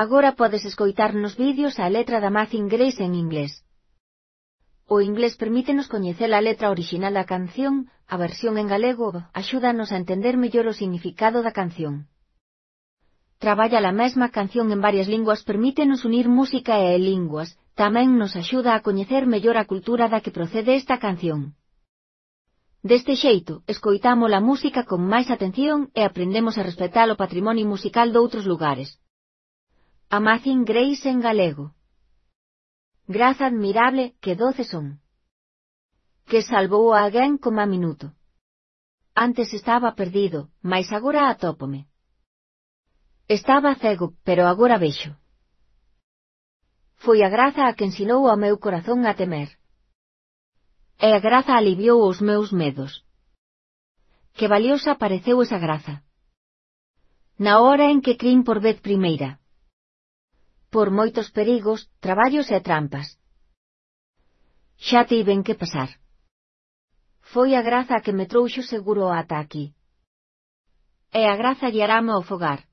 Agora podes escoitar nos vídeos a letra da Amazing Grace en inglés. O inglés permítenos coñecer a letra orixinal da canción, a versión en galego axúdanos a entender mellor o significado da canción. Traballa a mesma canción en varias linguas permítenos unir música e linguas, tamén nos axuda a coñecer mellor a cultura da que procede esta canción. Deste xeito, escoitamos a música con máis atención e aprendemos a respetar o patrimonio musical doutros lugares. Amazing Grace en galego. Graza admirable, que doce son. Que salvou a alguén coma minuto. Antes estaba perdido, mais agora atópome. Estaba cego, pero agora vexo. Foi a graza a que ensinou ao meu corazón a temer. E a graza aliviou os meus medos. Que valiosa pareceu esa graza. Na hora en que crin por vez primeira. Por moitos perigos, traballos e trampas. Xa tiven que pasar. Foi a graza a que me trouxo seguro ata aquí. E a graza guiarame ao fogar.